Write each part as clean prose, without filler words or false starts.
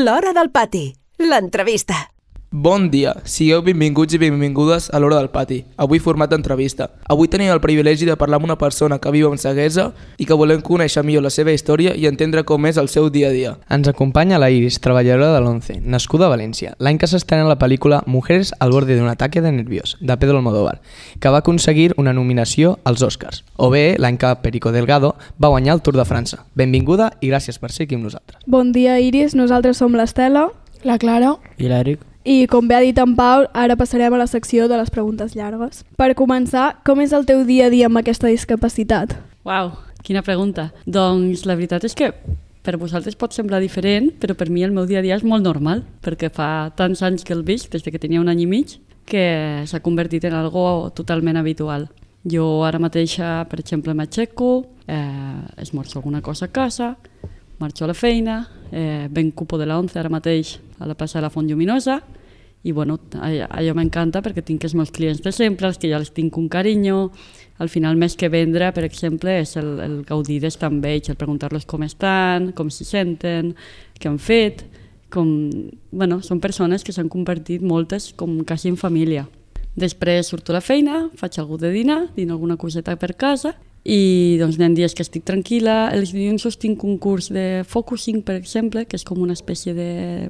L'Hora del Pati, l'entrevista. Bon dia, sigueu benvinguts i benvingudes a l'Hora del Pati, avui format d'entrevista. Avui tenim el privilegi de parlar amb una persona que viu en ceguesa i que volem conèixer millor la seva història i entendre com és el seu dia a dia. Ens acompanya la Iris, treballadora de l'11, nascuda a València, l'any que s'estrena la pel·lícula Mujeres al borde d'un ataque de nervios, de Pedro Almodóvar, que va aconseguir una nominació als Oscars, o bé l'any que Perico Delgado va guanyar el Tour de França. Benvinguda i gràcies per ser aquí amb nosaltres. Bon dia, Iris. Nosaltres som l'Estela, la Clara i l'Eric. I com bé ha dit en Pau, ara passarem a la secció de les preguntes llargues. Per començar, com és el teu dia a dia amb aquesta discapacitat? Uau, quina pregunta. Doncs la veritat és que per vosaltres pot semblar diferent, però per mi el meu dia a dia és molt normal, perquè fa tants anys que el visc, des que tenia un any i mig, que s'ha convertit en algo totalment habitual. Jo ara mateixa, per exemple, m'aixeco, esmorzo alguna cosa a casa, marxo a la feina, ben cupo de la 11 ara mateix a la plaça de la Font Lluminosa, i bueno, allò m'encanta perquè tinc els meus clients de sempre, els que ja els tinc un carinyo. Al final, més que vendre, per exemple, és el gaudir d'estar amb ells, el preguntar-los com estan, com s'hi senten, què han fet. Bueno, són persones que s'han convertit moltes com quasi en família. Després surto a la feina, faig alguna de dinar, dino alguna coseta per casa i doncs hi ha dies que estic tranquil·la. Els dilluns tinc un curs de focusing, per exemple, que és com una espècie de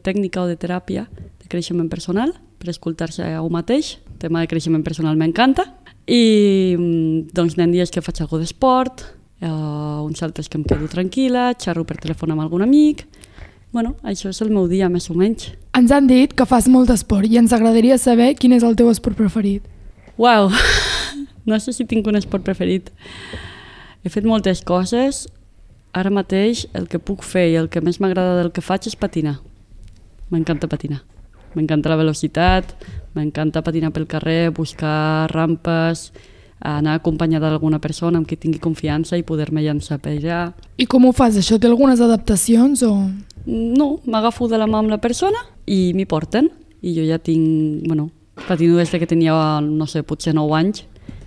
tècnica o de teràpia de creixement personal per escoltar-se a un mateix. El tema de creixement personal m'encanta. I doncs hi ha dies que faig alguna d'esport, uns altres que em quedo tranquil·la, xerro per telèfon amb algun amic. Bueno, això és el meu dia, més o menys. Ens han dit que fas molt d'esport i ens agradaria saber quin és el teu esport preferit. Uau, no sé si tinc un esport preferit. He fet moltes coses. Ara mateix el que puc fer i el que més m'agrada del que faig és patinar. M'encanta patinar. M'encanta la velocitat, m'encanta patinar pel carrer, buscar rampes, anar acompanyada d'alguna persona amb qui tingui confiança i poder-me llançar per allà. I com ho fas? Això té algunes adaptacions o...? No, m'agafo de la mà amb la persona i m'hi porten. I jo ja tinc, patino des que tenia, no sé, potser 9 anys.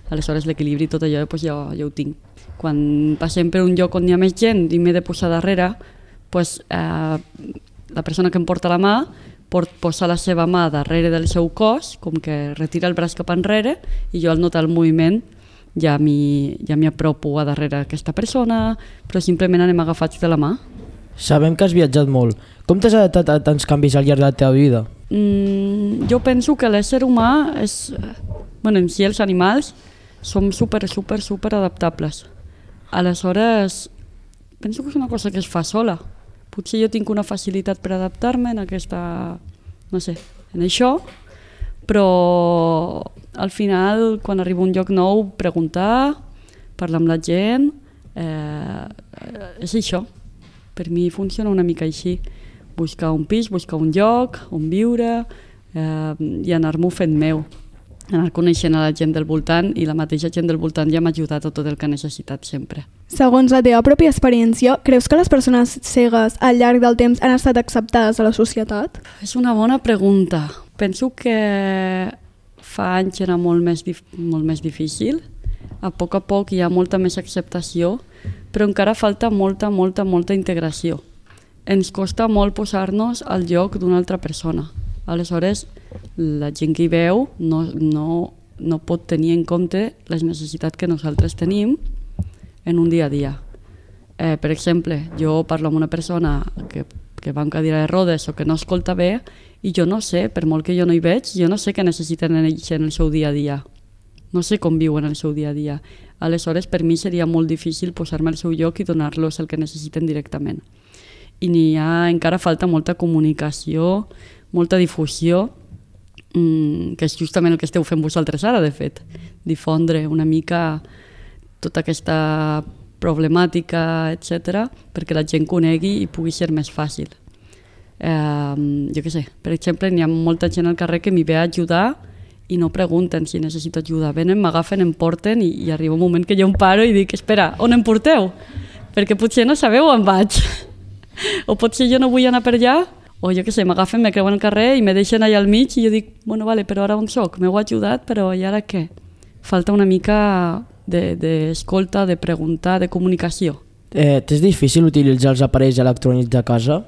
Aleshores l'equilibri i tot allò doncs ja ho tinc. Quan passem per un lloc on hi ha més gent i m'he de posar darrere, doncs, la persona que em porta la mà pot posar la seva mà darrere del seu cos, com que retira el braç cap enrere, i jo al notar el moviment ja m'hi apropo a darrere aquesta persona, però simplement anem agafats de la mà. Sabem que has viatjat molt. Com t'has adaptat a tants canvis al llarg de la teva vida? Jo penso que l'ésser humà és... en si els animals som super adaptables. Aleshores, penso que és una cosa que es fa sola. Potser jo tinc una facilitat per adaptar-me en aquesta... en això, però al final, quan arribo a un lloc nou, preguntar, parlar amb la gent, és això. Per mi funciona una mica així. Buscar un pis, buscar un lloc on viure i anar-m'ho fent meu. Anar coneixent a la gent del voltant i la mateixa gent del voltant ja m'ha ajudat a tot el que he necessitat sempre. Segons la teva pròpia experiència, creus que les persones cegues al llarg del temps han estat acceptades a la societat? És una bona pregunta. Penso que fa anys era molt més difícil. A poc hi ha molta més acceptació, però encara falta molta integració. Ens costa molt posar-nos al lloc d'una altra persona. Aleshores, la gent que hi veu no pot tenir en compte les necessitats que nosaltres tenim en un dia a dia. Per exemple, jo parlo amb una persona que va en cadira de rodes o que no escolta bé i jo no sé, per molt que jo no hi veig, jo no sé què necessiten ells en el seu dia a dia. No sé com viuen el seu dia a dia. Aleshores, per mi seria molt difícil posar-me al seu lloc i donar-los el que necessiten directament. I encara falta molta comunicació, molta difusió, que és justament el que esteu fent vosaltres ara, de fet. Difondre una mica tota aquesta problemàtica, etc., perquè la gent conegui i pugui ser més fàcil. Jo què sé, per exemple, hi ha molta gent al carrer que m'hi ve a ajudar i no pregunten si necessito ajuda. Venen, m'agafen, em porten i arriba un moment que jo em paro i dic, espera, on em porteu? Perquè potser no sabeu on vaig. O potser jo no vull anar per allà, o jo què sé, m'agafen, me creuen al carrer i me deixen allà al mig i jo dic, vale, però ara on soc? M'heu ajudat, però i ara què? Falta una mica d'escolta, de preguntar, de comunicació. T'és difícil utilitzar els aparells electrònics de casa?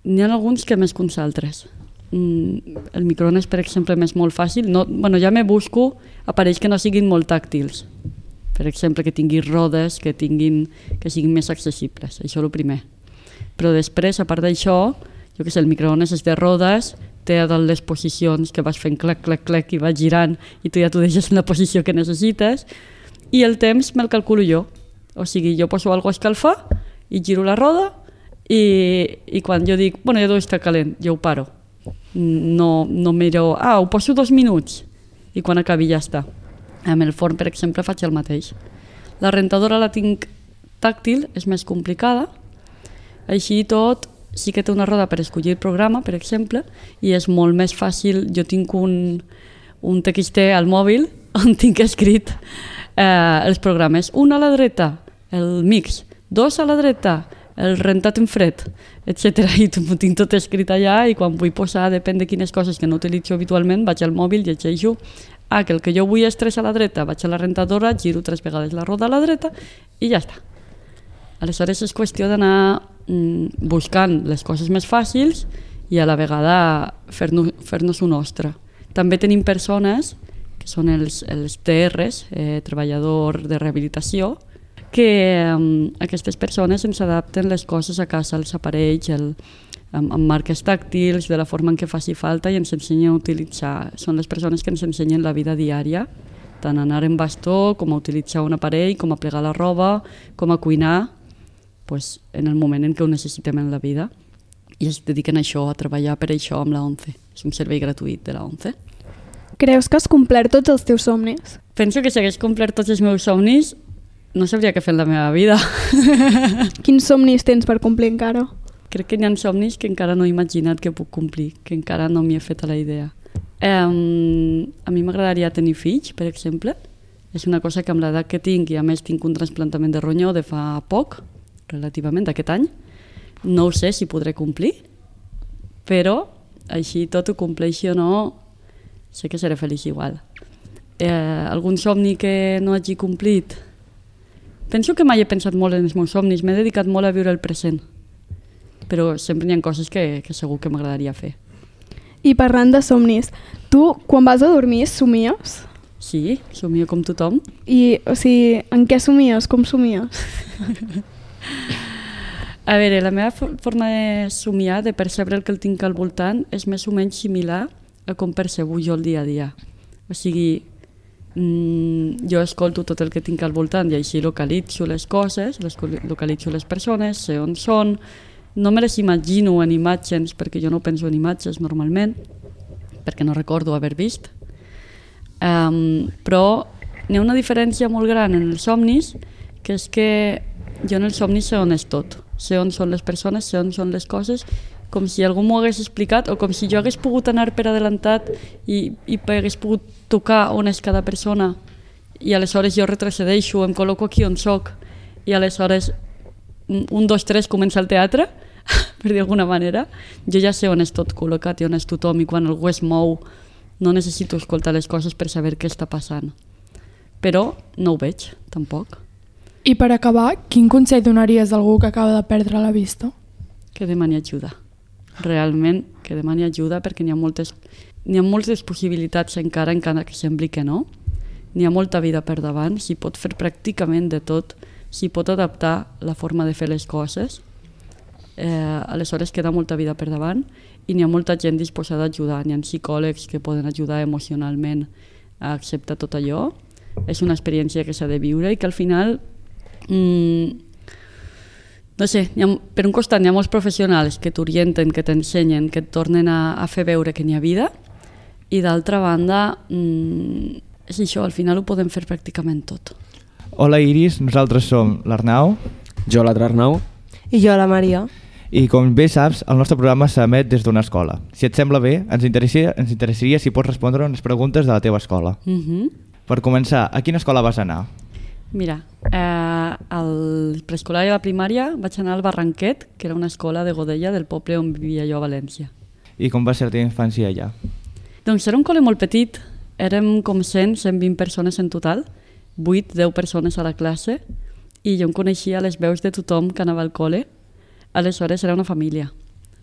N'hi ha alguns que més que uns altres. El microones, per exemple, m'és molt fàcil. Ja me busco aparells que no siguin molt tàctils. Per exemple, que tinguin rodes, que siguin més accessibles. Això és el primer. Però després, a part d'això, jo què sé, el microones és de rodes, té a dalt les posicions que vas fent clac, clac, clac i vas girant i tu ja t'ho deixes en la posició que necessites, i el temps me'l calculo jo. O sigui, jo poso alguna cosa a escalfar i giro la roda i quan jo dic, ja deu estar calent, jo ho paro. No miro, ho poso 2 minuts i quan acabi ja està. Amb el forn, per exemple, faig el mateix. La rentadora la tinc tàctil, és més complicada. Així i tot, sí que té una roda per escollir el programa, per exemple, i és molt més fàcil. Jo tinc un TXT al mòbil on tinc escrit els programes. 1 a la dreta, el mix. 2 a la dreta, el rentat en fred, etc. I ho tinc tot escrit allà i quan vull posar, depèn de quines coses que no utilitzo habitualment, vaig al mòbil, llegeixo que el que jo vull és 3 a la dreta, vaig a la rentadora, giro 3 vegades la roda a la dreta i ja està. Aleshores és qüestió d'anar buscant les coses més fàcils i a la vegada fer-nos-ho nostre. També tenim persones, que són els TRs, treballador de rehabilitació, que aquestes persones ens adapten les coses a casa, els aparells, amb marques tàctils, de la forma en què faci falta i ens ensenyen a utilitzar. Són les persones que ens ensenyen la vida diària, tant a anar en bastó, com a utilitzar un aparell, com a plegar la roba, com a cuinar, en el moment en què ho necessitem en la vida. I es dediquen a això, a treballar per això amb la ONCE. És un servei gratuït de la ONCE. Creus que has complert tots els teus somnis? Penso que si hagués complert tots els meus somnis, no sabria què fer en la meva vida. Quins somnis tens per complir encara? Crec que hi ha somnis que encara no he imaginat que puc complir, que encara no m'hi he fet a la idea. A mi m'agradaria tenir fills, per exemple. És una cosa que amb l'edat que tinc, i a més tinc un trasplantament de ronyó de fa poc, relativament, d'aquest any, no ho sé si podré complir, però així tot ho compleixi o no, sé que seré feliç igual. Algun somni que no hagi complit? Penso que mai he pensat molt en els meus somnis, m'he dedicat molt a viure el present, però sempre hi ha coses que segur que m'agradaria fer. I parlant de somnis, tu quan vas a dormir somies? Sí, somio com tothom. I, o sigui, en què somies? Com somies? A veure, la meva forma de somiar, de percebre el que el tinc al voltant, és més o menys similar a com percebo jo el dia a dia. O sigui, jo escolto tot el que tinc al voltant i així localitzo les coses, localitzo les persones, sé on són, no me les imagino en imatges perquè jo no penso en imatges normalment, perquè no recordo haver vist. Però n'hi ha una diferència molt gran en els somnis, que és que jo en els somnis sé on és tot, sé on són les persones, sé on són les coses, com si algú m'ho hagués explicat o com si jo hagués pogut anar per adelantat i hagués pogut tocar on és cada persona i aleshores jo retrocedeixo, em col·loco aquí on soc i aleshores 1, 2, 3 comença el teatre, per dir d'alguna manera. Jo ja sé on és tot col·locat i on és tothom i quan algú es mou no necessito escoltar les coses per saber què està passant. Però no ho veig, tampoc. I per acabar, quin consell donaries a algú que acaba de perdre la vista? Que demani ajuda. Realment, que demani ajuda perquè n'hi ha moltes possibilitats encara que sembli que no. N'hi ha molta vida per davant, s'hi pot fer pràcticament de tot, s'hi pot adaptar la forma de fer les coses. Aleshores queda molta vida per davant i n'hi ha molta gent disposada a ajudar. N'hi ha psicòlegs que poden ajudar emocionalment a acceptar tot allò. És una experiència que s'ha de viure i que al final no sé, per un costat n'hi ha molts professionals que t'orienten, que t'ensenyen, que et tornen a fer veure que n'hi ha vida i d'altra banda és això, al final ho podem fer pràcticament tot. Hola Iris, nosaltres som l'Arnau, jo l'altre Arnau i jo la Maria. I com bé saps, el nostre programa s'emet des d'una escola. Si et sembla bé, ens interessaria si pots respondre unes preguntes de la teva escola. Per començar, a quina escola vas anar? Mira, al preescolar i a la primària vaig anar al Barranquet, que era una escola de Godella del poble on vivia jo a València. I com va ser la teva infància allà? Doncs era un col·le molt petit, érem com 100-120 persones en total, 8-10 persones a la classe, i jo em coneixia les veus de tothom que anava al col·le, aleshores era una família.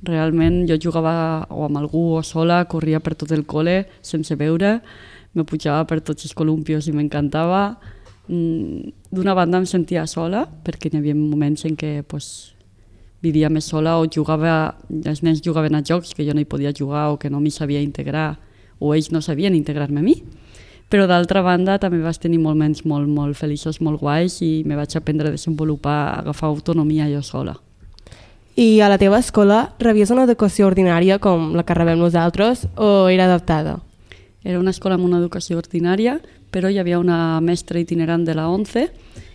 Realment jo jugava o amb algú o sola, corria per tot el col·le sense veure, me pujava per tots els columpios i m'encantava. D'una banda em sentia sola, perquè hi havia moments en què vivia més sola o els nens jugaven a jocs que jo no hi podia jugar o que no m'hi sabia integrar o ells no sabien integrar-me a mi. Però d'altra banda també vaig tenir moments molt feliços, molt guais i me vaig aprendre a desenvolupar, a agafar autonomia jo sola. I a la teva escola rebies una educació ordinària com la que rebem nosaltres o era adaptada? Era una escola amb una educació ordinària, però hi havia una mestra itinerant de la 11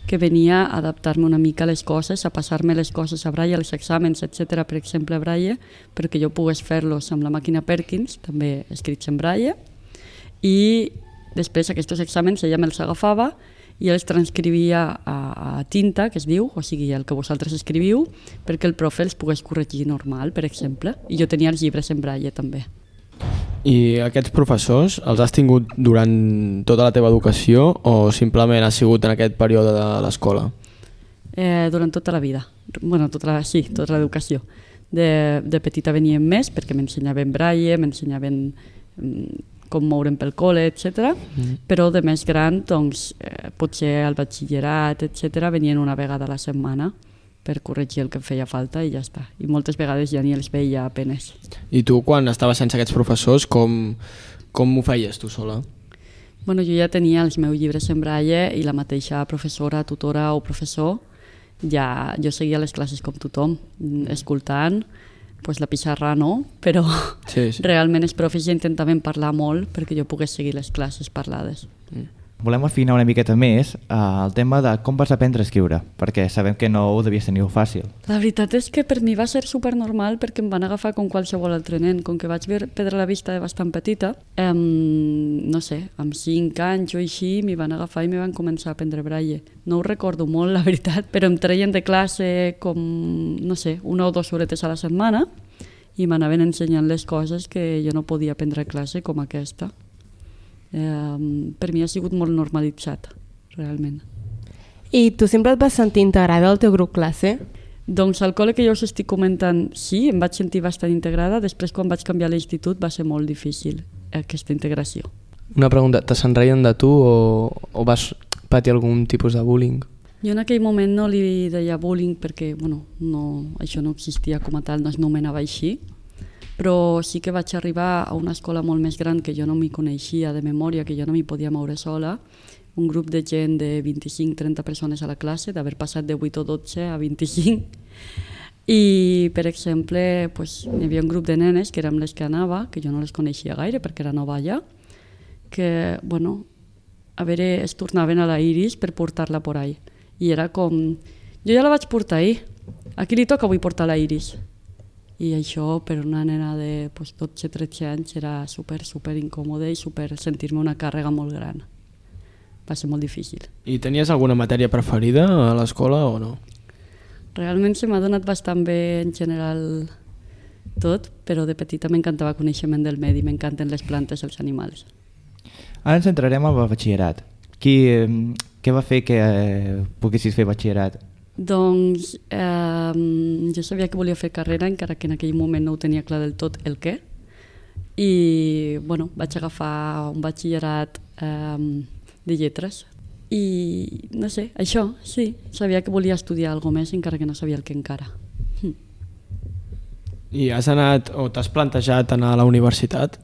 que venia a adaptar-me una mica a les coses, a passar-me les coses a braille, els exàmens, etc. Per exemple, a braille, perquè jo pogués fer-los amb la màquina Perkins, també escrits en braille, i després aquests exàmens ella me'ls agafava i els transcrivia a tinta, que es diu, o sigui, el que vosaltres escriviu, perquè el profe els pogués corregir normal, per exemple, i jo tenia els llibres en braille també. I aquests professors els has tingut durant tota la teva educació o simplement has sigut en aquest període de l'escola? Durant tota la vida, tota l'educació. De petita venien més perquè m'ensenyaven braille, m'ensenyaven com moure'm pel col·le, etc. Però de més gran, doncs, potser al batxillerat, etc., venien una vegada a la setmana per corregir el que em feia falta i ja està. I moltes vegades ja ni els veia apenes. I tu, quan estaves sense aquests professors, com ho feies tu sola? Jo ja tenia els meus llibres en braille i la mateixa professora, tutora o professor, jo seguia les classes com tothom, escoltant, la pissarra no, però realment els profes ja intentaven parlar molt perquè jo pogués seguir les classes parlades. Volem afinar una miqueta més el tema de com vas aprendre a escriure, perquè sabem que no ho devies tenir fàcil. La veritat és que per mi va ser supernormal perquè em van agafar com qualsevol altre nen. Com que vaig perdre la vista de bastant petita, no sé, amb 5 anys o així m'hi van agafar i m'hi van començar a aprendre braille. No ho recordo molt, la veritat, però em treien de classe com, no sé, 1 o 2 horetes a la setmana i m'anaven ensenyant les coses que jo no podia aprendre a classe com aquesta. Per mi ha sigut molt normalitzat, realment. I tu sempre et vas sentir integrada al teu grup classe? Doncs al col·le que jo us estic comentant, sí, em vaig sentir bastant integrada. Després, quan vaig canviar a l'institut, va ser molt difícil aquesta integració. Una pregunta, te se'n reien de tu o vas patir algun tipus de bullying? Jo en aquell moment no li deia bullying perquè això no existia com a tal, no es nomenava així. Però sí que vaig arribar a una escola molt més gran que jo no m'hi coneixia de memòria, que jo no m'hi podia moure sola, un grup de gent de 25-30 persones a la classe, d'haver passat de 8 o 12 a 25. I, per exemple, hi havia un grup de nenes que érem les que anava, que jo no les coneixia gaire perquè era nova allà, que, es tornaven a la Iris per portar-la por ahí. I era com, jo ja la vaig portar ahir, a qui li toca avui portar la Iris? I això per una nena de 12-13 anys era super incòmode i sentir-me una càrrega molt gran. Va ser molt difícil. I tenies alguna matèria preferida a l'escola o no? Realment se m'ha donat bastant bé en general tot, però de petita m'encantava coneixement del medi, m'encanten les plantes i els animals. Ara ens centrarem en el batxillerat. Què va fer que poguessis fer batxillerat? Doncs jo sabia que volia fer carrera, encara que en aquell moment no ho tenia clar del tot el què. I vaig agafar un batxillerat de lletres. I no sé, això, sí, sabia que volia estudiar alguna més, encara que no sabia el que encara. I has anat o t'has plantejat anar a la universitat?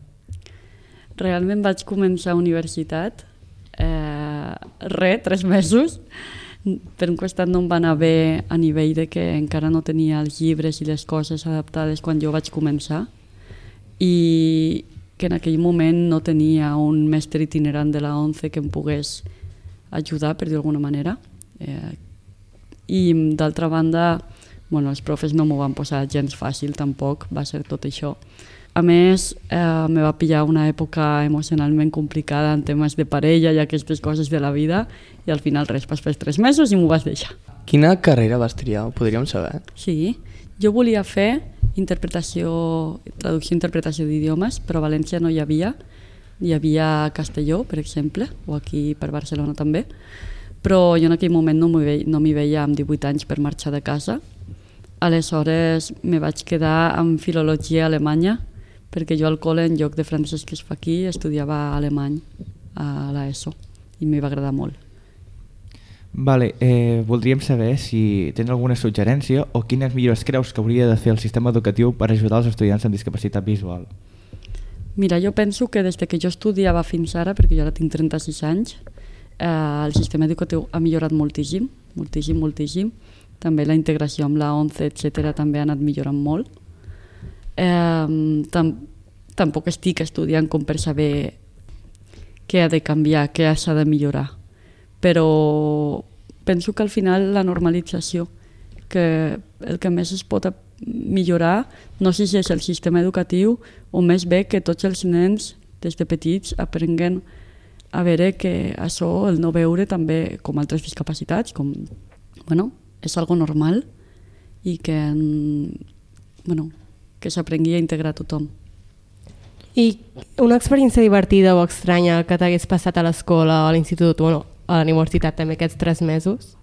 Realment vaig començar a universitat, 3 mesos. Per un costat no em va anar bé a nivell de que encara no tenia els llibres i les coses adaptades quan jo vaig començar i que en aquell moment no tenia un mestre itinerant de la 11 que em pogués ajudar, per dir d'alguna manera. I d'altra banda, els profes no m'ho van posar gens fàcil tampoc, va ser tot això. A més, me va pillar una època emocionalment complicada en temes de parella i aquestes coses de la vida i al final vas fer 3 mesos i m'ho vas deixar. Quina carrera vas triar? Ho podríem saber? Sí, jo volia fer traducció i interpretació d'idiomes, però a València no hi havia. Hi havia a Castelló, per exemple, o aquí per Barcelona també, però jo en aquell moment no m'hi veia amb 18 anys per marxar de casa Aleshores me vaig quedar amb filologia alemanya, perquè jo al col·le, en lloc de francès que es fa aquí, estudiava alemany a l'ESO i m'hi va agradar molt. Vale, voldríem saber si tens alguna suggerència o quines millores creus que hauria de fer el sistema educatiu per ajudar els estudiants amb discapacitat visual. Mira, jo penso que des que jo estudiava fins ara, perquè jo ara tinc 36 anys, el sistema educatiu ha millorat moltíssim, moltíssim. També la integració amb la 11, etc., també ha anat millorant molt. Tampoc estic estudiant com per saber què ha de canviar, què s'ha de millorar. Però penso que al final la normalització, que el que més es pot millorar, no sé si és el sistema educatiu o més bé que tots els nens des de petits aprenguen a veure que això, el no veure també com altres discapacitats, com, és algo normal i que, que s'aprengui a integrar tothom. I una experiència divertida o estranya que t'hagués passat a l'escola o a l'institut o a la universitat també aquests 3 mesos?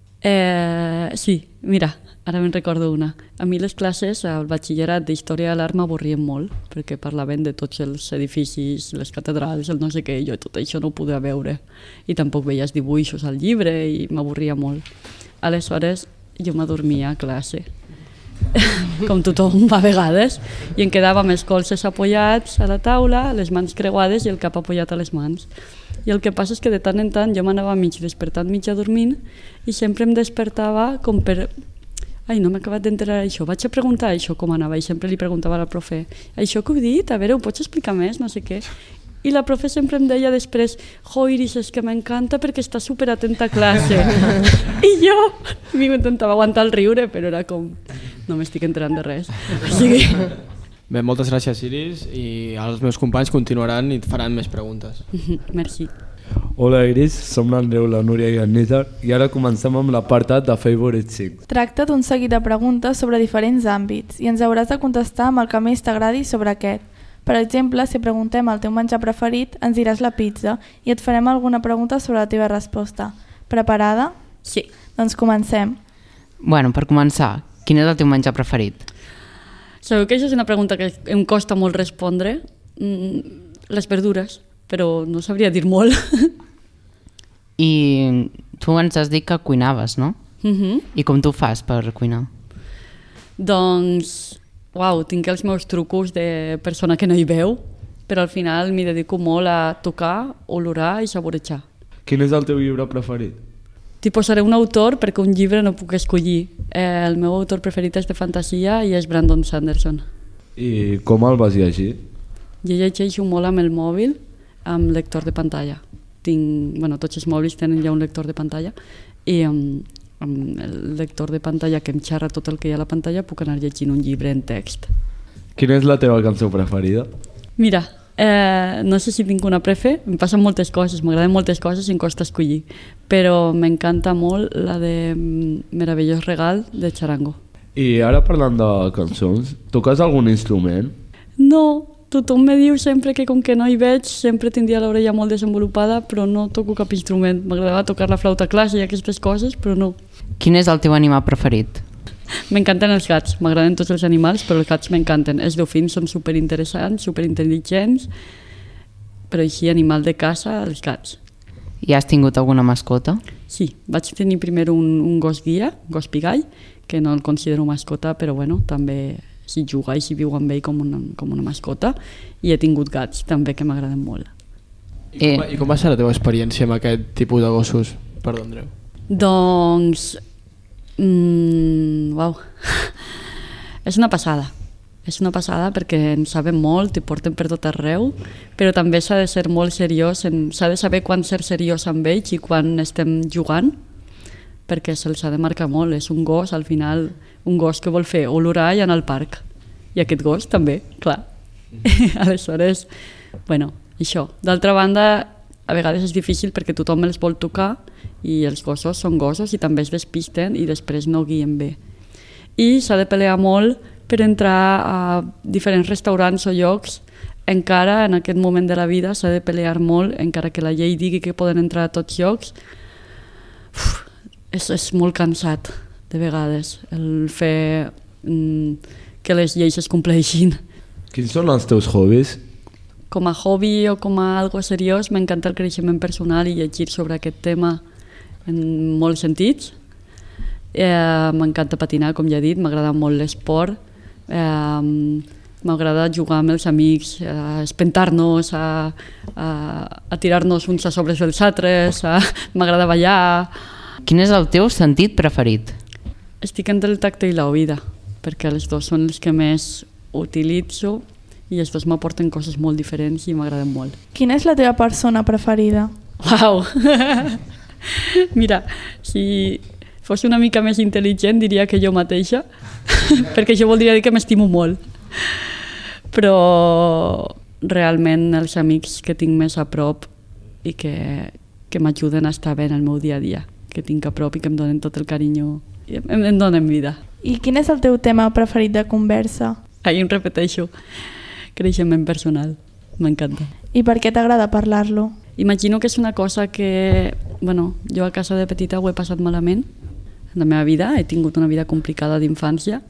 Sí, mira, ara me'n recordo una. A mi les classes al batxillerat d'Història de l'Art m'avorrien molt, perquè parlaven de tots els edificis, les catedrals, el no sé què, jo tot això no ho podia veure. I tampoc veies dibuixos al llibre i m'avorria molt. Aleshores, jo m'adormia a classe, com tothom a vegades, i em quedava amb els colzes apoyats a la taula, les mans creuades i el cap apoyat a les mans. I el que passa és que de tant en tant jo m'anava mig despertant, mig adormint, i sempre em despertava com per... Ai, no m'he acabat d'enterar això, vaig a preguntar això com anava, i sempre li preguntava a la profe, això que heu dit, a veure, ho pots explicar més, no sé què. I la profe sempre em deia després, Iris, és que m'encanta perquè està superatenta a classe. I jo m'intentava aguantar el riure, però era com, no m'estic enterant de res. O sigui... Bé, moltes gràcies, Iris, i els meus companys continuaran i et faran més preguntes. Merci. Hola, Iris, som l'Andreu, la Núria i en Nítar, i ara comencem amb l'apartat de Favorite Things. Tracta d'un seguit de preguntes sobre diferents àmbits i ens hauràs de contestar amb el que més t'agradi sobre aquest. Per exemple, si preguntem el teu menjar preferit, ens diràs la pizza i et farem alguna pregunta sobre la teva resposta. Preparada? Sí. Doncs comencem. Bueno, per començar, quin és el teu menjar preferit? Sabeu que això és una pregunta que em costa molt respondre? Les verdures, però no sabria dir molt. I tu ens has dit que cuinaves, no? I com tu fas per cuinar? Doncs... tinc els meus trucos de persona que no hi veu, però al final m'hi dedico molt a tocar, olorar i saborejar. Quin és el teu llibre preferit? T'hi posaré un autor perquè un llibre no puc escollir. El meu autor preferit és de fantasia i és Brandon Sanderson. I com el vas llegir? Jo llegeixo molt amb el mòbil, amb lector de pantalla. Tots els mòbils tenen ja un lector de pantalla i amb el lector de pantalla que em xerra tot el que hi ha a la pantalla puc anar llegint un llibre en text. Quina és la teva cançó preferida? Mira, no sé si tinc una prefe, em passen moltes coses, m'agraden moltes coses i em costa escollir, però m'encanta molt la de Meravellós Regal de Charango. I ara parlant de cançons, toques algun instrument? No, tothom me diu sempre que com que no hi veig sempre tindria l'orella molt desenvolupada, però no toco cap instrument. M'agradava tocar la flauta clàssica i aquestes coses, però no. Quin és el teu animal preferit? M'encanten els gats, m'agraden tots els animals, però els gats m'encanten. Els dofins són superinteressants, superintel·ligents, però així animal de casa, els gats. I has tingut alguna mascota? Sí, vaig tenir primer un gos guia, un gos pigall, que no el considero mascota, però també s'hi juga i s'hi viu amb ell com una mascota, i he tingut gats també que m'agraden molt. I com va ser la teva experiència amb aquest tipus de gossos? Perdó, Andreu. Doncs... és una passada. És una passada perquè en saben molt i porten per tot arreu, però també s'ha de ser molt seriós, s'ha de saber quan ser seriós amb ells i quan estem jugant, perquè se'ls ha de marcar molt. És un gos, al final, un gos que vol fer olorar i anar al parc. I aquest gos també, clar. Aleshores, això. D'altra banda, a vegades és difícil perquè tothom els vol tocar i els gossos són gossos i també es despisten i després no guien bé. I s'ha de pelear molt per entrar a diferents restaurants o llocs. Encara en aquest moment de la vida s'ha de pelear molt, encara que la llei digui que poden entrar a tots llocs. És molt cansat, de vegades, el fer que les lleis es compleixin. Quins són els teus hobbies? Com a hobby o com a algo seriós, m'encanta el creixement personal i llegir sobre aquest tema en molts sentits. M'encanta patinar, com ja he dit, m'agrada molt l'esport, m'agrada jugar amb els amics, a espentar-nos, a tirar-nos uns a sobre dels altres, m'agrada ballar. Quin és el teu sentit preferit? Estic entre el tacte i l'oïda, perquè els dos són els que més utilitzo i els dos m'aporten coses molt diferents i m'agraden molt. Quina és la teva persona preferida? Uau! Mira, si fos una mica més intel·ligent diria que jo mateixa, perquè això voldria dir que m'estimo molt. Però realment els amics que tinc més a prop i que m'ajuden a estar bé en el meu dia a dia, que tinc a prop i que em donen tot el carinyo, em donen vida. I quin és el teu tema preferit de conversa? Ahir em repeteixo, creixement personal, m'encanta. I per què t'agrada parlar-lo? Imagino que és una cosa que, jo a casa de petita ho he passat malament en la meva vida, he tingut una vida complicada d'infància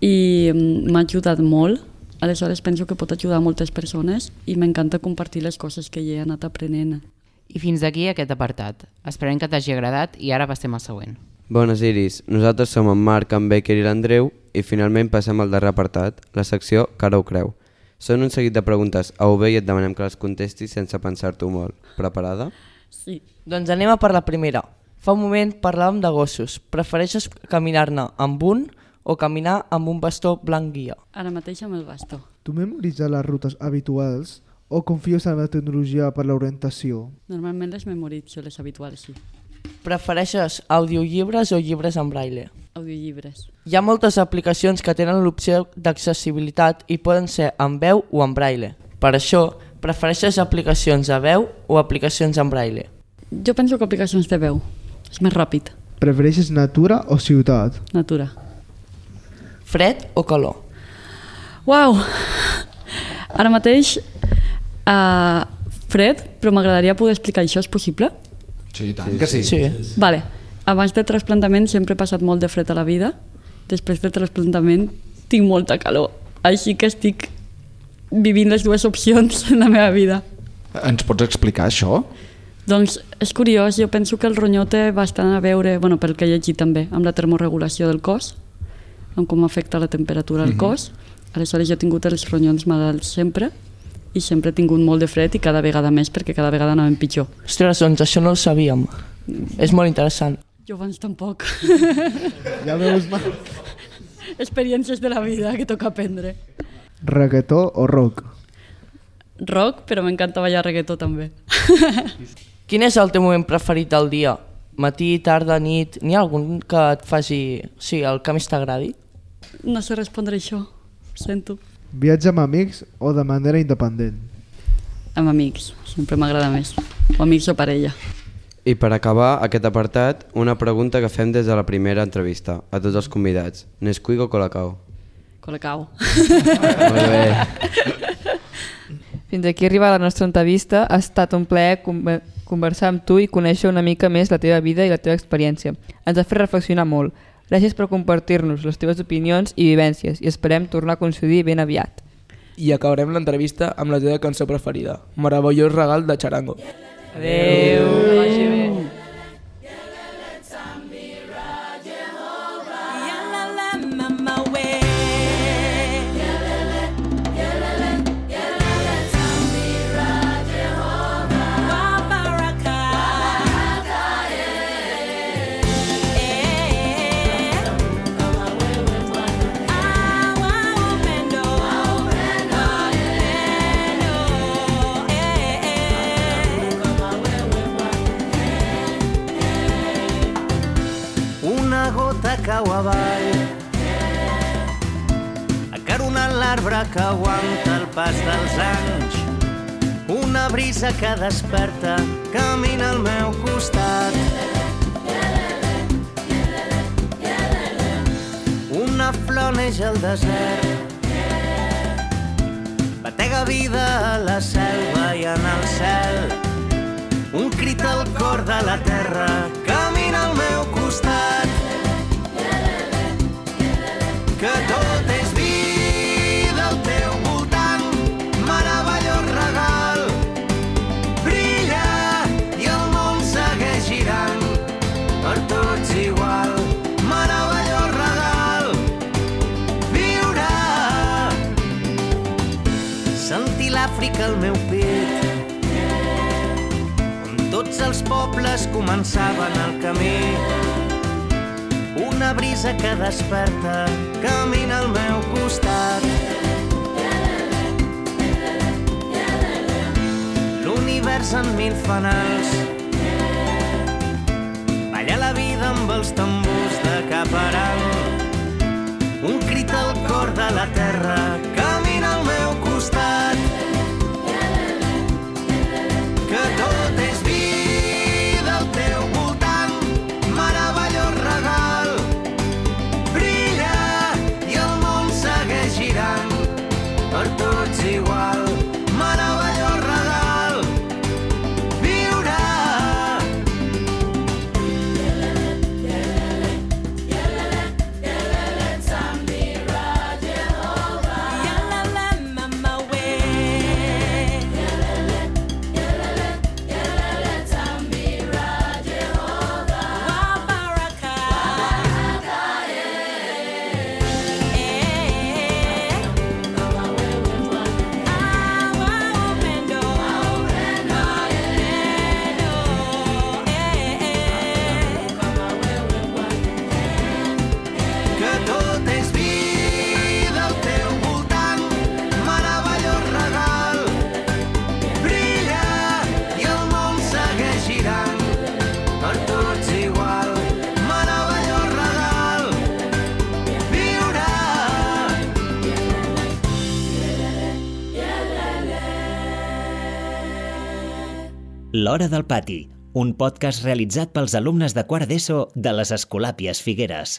i m'ha ajudat molt, aleshores penso que pot ajudar moltes persones i m'encanta compartir les coses que hi he anat aprenent. I fins aquí aquest apartat. Esperem que t'hagi agradat i ara passem al següent. Bones, Iris. Nosaltres som en Marc, en Becker i l'Andreu i finalment passem al darrer apartat, la secció Que ara ho creu. Són un seguit de preguntes a UB i et demanem que les contestis sense pensar-t'ho molt. Preparada? Sí. Doncs anem a per la primera. Fa un moment parlàvem de gossos. Prefereixes caminar-ne amb un o caminar amb un bastó blanc guia? Ara mateix amb el bastó. Tu memoritzes les rutes habituals o confies en la tecnologia per l'orientació? Normalment les memoritzo, les habituals, sí. Prefereixes audiollibres o llibres en braille? Audiollibres. Hi ha moltes aplicacions que tenen l'opció d'accessibilitat i poden ser en veu o en braille. Per això, prefereixes aplicacions a veu o aplicacions en braille? Jo penso que aplicacions de veu. És més ràpid. Prefereixes natura o ciutat? Natura. Fred o calor? Uau! Ara mateix fred, però m'agradaria poder explicar això, és possible? Sí, tant que sí. Vale. Abans del trasplantament sempre he passat molt de fred a la vida. Després del trasplantament tinc molta calor. Així que estic vivint les dues opcions en la meva vida. Ens pots explicar això? Doncs és curiós, jo penso que el ronyó té bastant a veure, pel que he llegit també, amb la termorregulació del cos, amb com afecta la temperatura al cos. Aleshores jo he tingut els ronyons malalts sempre i sempre he tingut molt de fred i cada vegada més perquè cada vegada anàvem pitjor. Ostres, doncs això no ho sabíem. És molt interessant. Jo abans tampoc. Ja veus mal. Experiències de la vida que toca aprendre. Reggaetó o rock? Rock, però m'encanta ballar reggaetó també. Quin és el teu moment preferit del dia? Matí, tarda, nit? N'hi ha algun que et faci... Sí, el que més t'agradi? No sé respondre això, ho sento. Viatge amb amics o de manera independent? Amb amics, sempre m'agrada més. O amics o parella. I per acabar aquest apartat, una pregunta que fem des de la primera entrevista a tots els convidats. Nesquik o Colacao? Colacao. Molt bé. Fins aquí arriba la nostra entrevista. Ha estat un plaer conversar amb tu i conèixer una mica més la teva vida i la teva experiència. Ens ha fet reflexionar molt. Gràcies per compartir-nos les teves opinions i vivències i esperem tornar a coincidir ben aviat. I acabarem l'entrevista amb la teva cançó preferida, Meravellós regal de Charango. Adéu. Que vagi bé. Cau avall, acaronant l'arbre que aguanta el pas dels anys. Una brisa que desperta, camina al meu costat. Una flor neix al desert, batega vida a la selva i en el cel. Un crit al cor de la terra, camina al meu costat. Que l'Àfrica al meu pit, on tots els pobles començaven el camí. Una brisa que desperta camina al meu costat. L'univers en mil fanals, balla la vida amb els tambors de Caparan. Un crit al cor de la terra camina al meu costat. Que tot és vida al teu voltant, meravellós regal. Brilla i el món segueix girant, per tots igual. Meravellós regal, viure. L'Hora del Pati, un podcast realitzat pels alumnes de quart d'ESO de les Escolàpies Figueres.